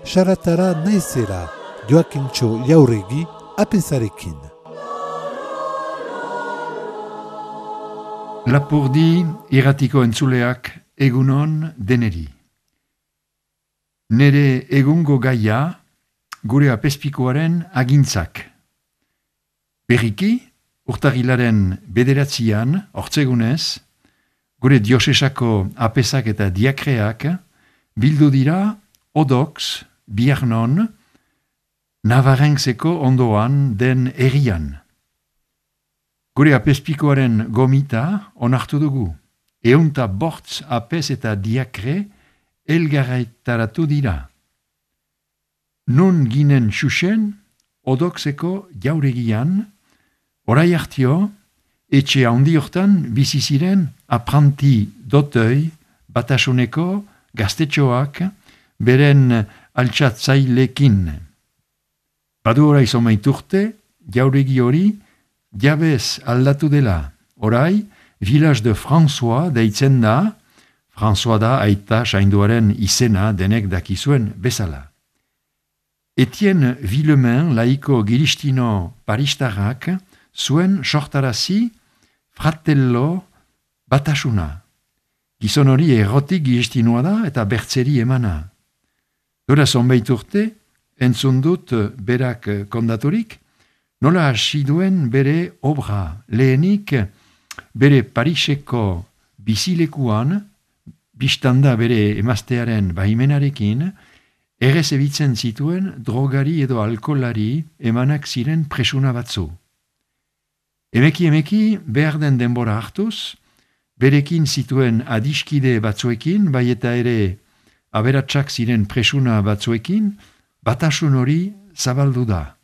Saratara naizela, Joakintxo Jauregi, apezarekin. Lapurdi irratiko entzuleak egunon deneri. Nere egungo gaia gure apezpikoaren agintzak. Berriki, urtagilaren 9 ortzegunez, gure diosesako apezak eta diakreak bildu dira Odox, Biarnon, Navarrentzeko ondoan den herrian. Gure apezpikoaren gomita onartu dugu. 105 apez eta diakre elgarraitaratu dira. Nun ginen xuxen, Odoxeko jauregian, orai hartio, etxe handi hortan bizi ziren apranti dotoi batasuneko gaztetxoak beren altxatzailekin. Badu orai zomaiturte, jauregi hori jabez aldatu dela. Orai, Village de François deitzen da, François da aita sainduaren izena denek dakizuen bezala. Etienne Villemain laiko giristino paristarrak zuen sortarazi fratello batasuna. Gizon hori errotik giristinoa da eta bertzeri emana. Dora zonbait urte, entzun dut berak kondaturik, nola hasi duen bere obra, lehenik bere Pariseko bizilekuan, biztanda bere emaztearen baimenarekin, errezebitzen zituen drogari edo alkolari emanak ziren presuna batzu. Emeki behar den denbora hartuz, berekin zituen adiskide batzuekin, bai eta ere aberatsak ziren presuna batzuekin, batasun hori zabaldu da.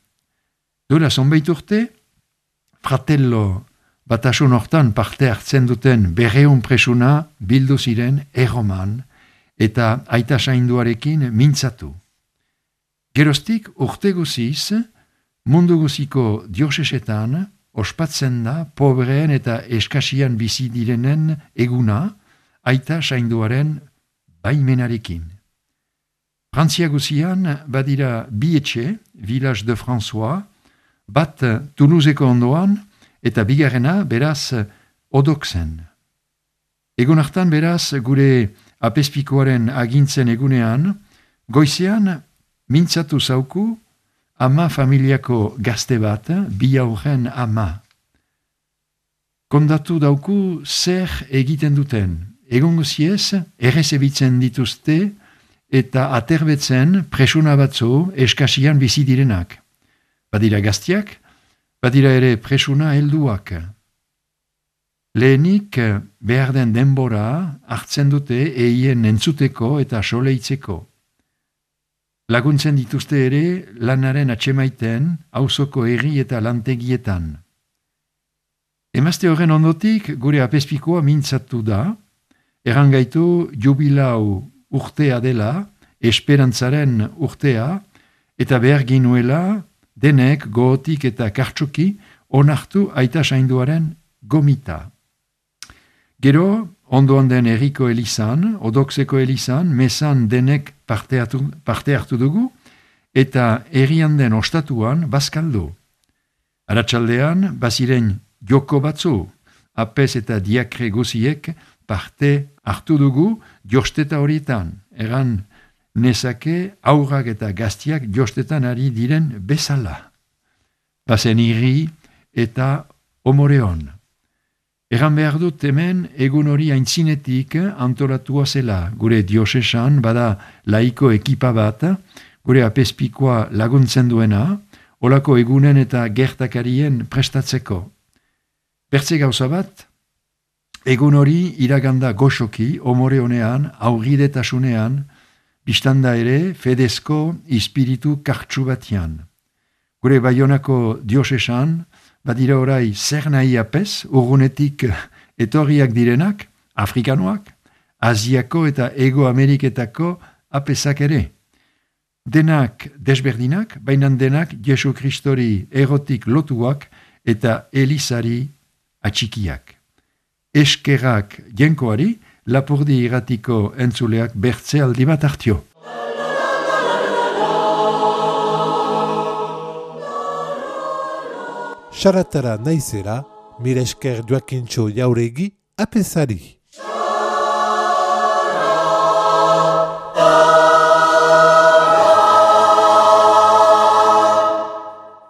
Duela zonbait urte, fratello batasun hortan parte hartzen duten 200 presuna bildu ziren erroman eta aita sainduarekin mintzatu. Geroztik urte guziz, mundu guziko diosesetan ospatzen da pobreen eta eskasian bizi direnen eguna aita sainduaren baimenarekin. Frantzia guzian badira bi etxe, Village de François, bat Toulouseko ondoan eta bigarrena beraz Odoxen. Egun hartan beraz gure apezpikoaren agintzen egunean, goizean mintzatu zauku ama familiako gazte bat, 2 aurren ama. Kondatu dauku zer egiten duten. Egun guziez errezebitzen dituzte eta aterbetzen presuna batzu eskasian bizi direnak. Badira gaztiak, badira ere presuna helduak. Lehenik behar den denbora hartzen dute eien entzuteko eta soleitzeko. Laguntzen dituzte ere lanaren atsemaiten auzoko herri eta lantegietan. Emazte horren ondotik gure apezpikoa mintzatu da, errangaitu jubilau urtea dela, esperantzaren urtea, eta behar ginuela denek gogotik eta kartsuki onartu aita sainduaren gomita. Gero, ondoan den herriko elizan, Odoxeko elizan, mesan denek parte hartu dugu, eta herrian den ostatuan bazkaldu. Arratsaldean, baziren joko batzu, apez eta diakre guziek parte hartu dugu josteta horietan. Egan nezake aurrak eta gaztiak jostetan ari diren bezala. Bazen irri eta omoreon. Egan behar dut hemen egun hori aintzinetik antolatua zela. Gure diosesan bada laiko ekipa bat, gure apezpikoa laguntzen duena, olako egunen eta gertakarien prestatzeko. Bertze gauza bat, egun hori iraganda goxoki, omore honean, aurridetasunean, biztanda ere fedezko ispiritu kartsu batian. Gure Baionako diosesan, badira orai zer nahi apez, urgunetik etorriak direnak, afrikanoak, Asiako eta Ego Ameriketako apezak ere. Denak desberdinak, baina denak Jesu Kristori erotik lotuak eta elizari atxikiak. Eskerrak jenkoari, Lapurdi irratiko entzuleak bertze aldi bat hartio. Saratara naizela, mire esker Joakintxo Jauregi apezari.